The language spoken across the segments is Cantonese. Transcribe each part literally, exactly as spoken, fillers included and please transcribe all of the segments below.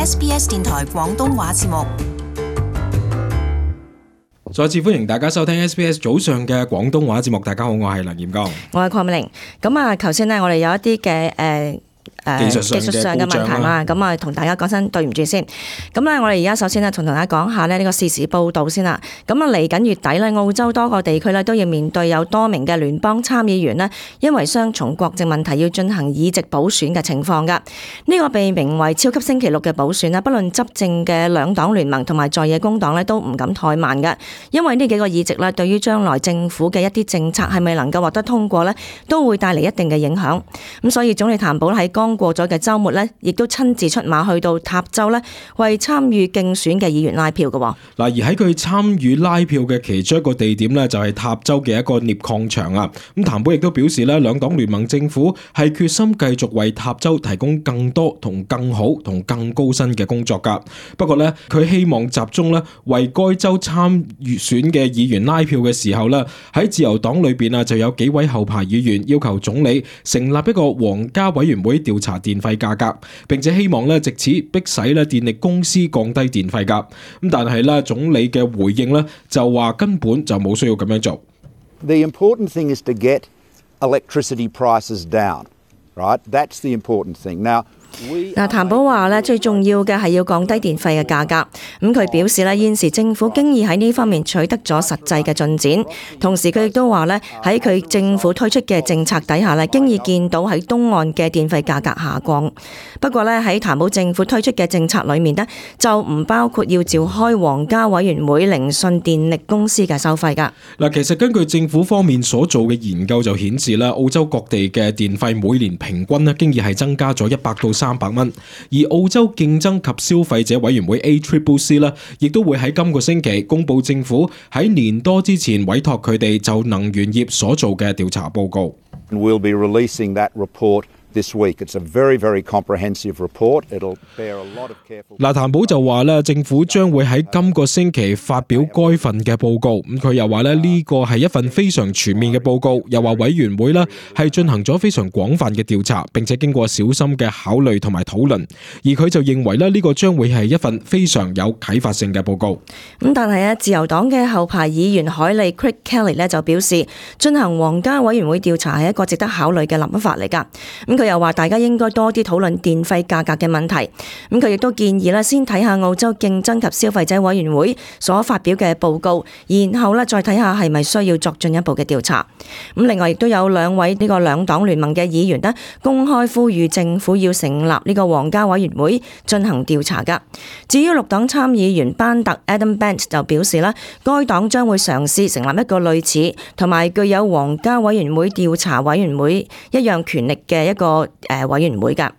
S B S 電台廣東話節目。再次歡迎大家收聽 S B S 早上嘅廣東話節目。大家好，我係梁炎剛，我係鄺美玲。咁啊，頭先咧，我哋有一啲嘅誒。技術上嘅技術上嘅問題啦，咁啊同大家講聲對唔住先。咁咧，我哋而家首先咧同大家講下咧呢個時事報導先啦。咁啊嚟緊月底咧，澳洲多個地區咧都要面對有多名嘅聯邦參議員呢，因為雙重國籍問題要進行議席補選嘅情況㗎。呢個被名為超級星期六嘅補選啦，不論執政嘅兩黨聯盟同埋在野工黨咧都唔敢怠慢㗎，因為呢幾個議席咧對於將來政府嘅一啲政策係咪能夠獲得通過咧，都會帶嚟一定嘅影響。咁所以總理譚寶喺剛過咗嘅週末呢，亦都親自出馬去到塔州呢，為參與競選嘅議員拉票嘅。嗱，而喺佢參與拉票嘅其中一個地點呢，就係塔州嘅一個獵礦場啊。咁譚寶亦都表示呢，兩黨聯盟政府係決心繼續為塔州提供更多同更好同更高薪嘅工作㗎。不過呢，佢希望集中呢為該州參與選嘅議員拉票嘅時候呢，喺自由黨裏邊啊就有幾位後排議員要求總理成立一個皇家委員會調查電費價格，並且希望咧藉此迫使咧電力公司降低電費價。咁但係咧總理嘅回應咧就話根本就冇需要咁樣做。The important thing is to get electricity prices down, right? That's the important thing. Now, 嗱，譚寶話咧最重要嘅係要降低電費嘅價格。咁佢表示咧現時政府經已喺呢方面取得咗實際嘅進展，同時佢亦都話咧喺佢政府推出嘅政策底下咧，經已見到喺東岸嘅電費價格下降。不過咧喺譚寶政府推出嘅政策裏面呢，就唔包括要召開皇家委員會聆訊電力公司嘅收費㗎。嗱，其實根據政府方面所做嘅研究就顯示啦，澳洲各地嘅電費每年平均咧經已係增加咗一百到三百蚊，而澳洲競爭及消費者委員會 A C C C 咧，亦都會喺今個星期公布政府喺年多之前委託佢哋就能源業所做嘅調查報告。We'll be releasing that report this week. It's a very, very comprehensive report. It'll bear a lot of careful. 嗱，譚寶就話咧，政府將會喺今個星期發表該份嘅報告。咁佢又話咧，呢個係一份非常全面嘅報告，又話委員會咧係進行咗非常廣泛嘅調查，並且經過小心嘅考慮同埋討論。而佢就認為咧，呢個將會係一份非常有啟發性嘅報告。咁但係咧，自由黨嘅後排議員海利 Craig Kelly 咧就表示，進行皇家委員會調查係一個值得考慮嘅諗法嚟㗎。咁佢又話大家應該多啲討論電費價格嘅問題。咁佢亦都建議咧，先睇下澳洲競爭及消費者委員會所發表嘅報告，然後咧再睇下係咪需要作進一步嘅調查。咁另外亦都有兩位呢個兩黨聯盟嘅議員咧，公開呼籲政府要成立呢個皇家委員會進行調查㗎。至於綠黨參議員班特 Adam Bent 就表示啦，該黨將會嘗試成立一個類似同埋具有皇家委員會調查委員會一樣權力嘅一個誒委員會㗎。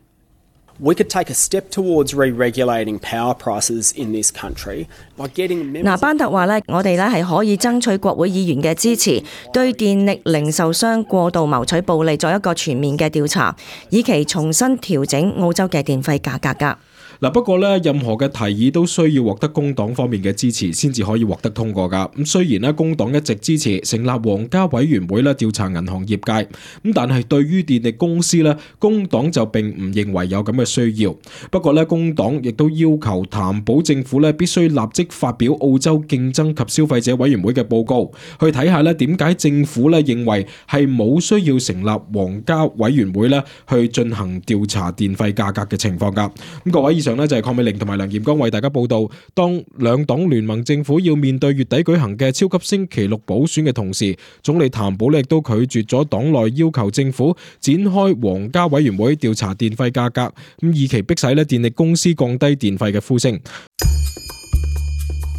We could take a step towards re-regulating power prices in this country by getting members. 嗱，班特話咧，我哋咧係可以爭取國會議員嘅支持，對電力零售商過度謀取暴利作一個全面嘅調查，以期重新調整澳洲嘅電費價格㗎。嗱，不過咧，任何嘅提議都需要獲得工黨方面嘅支持，先至可以獲得通過噶。咁雖然咧，工黨一直支持成立皇家委員會咧調查銀行業界，咁但係對於電力公司咧，工黨就並唔認為有咁嘅需要。不過咧，工黨亦都要求譚寶政府咧必須立即發表澳洲競爭及消費者委員會嘅報告，去睇下咧點解政府咧認為係冇需要成立皇家委員會咧去進行調查電費價格嘅情況噶。咁各位，以上呢就係鄺美玲同埋梁炎剛為大家報道，當兩黨聯盟政府要面對月底舉行嘅超級星期六補選嘅同時，總理譚寶亦都拒絕咗黨內要求政府展開皇家委員會調查電費價格，咁以期迫使咧電力公司降低電費嘅呼聲。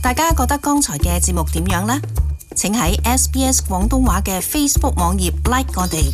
大家覺得剛才嘅節目點樣呢？請喺 S B S 廣東話嘅 Facebook 網頁 like 我哋。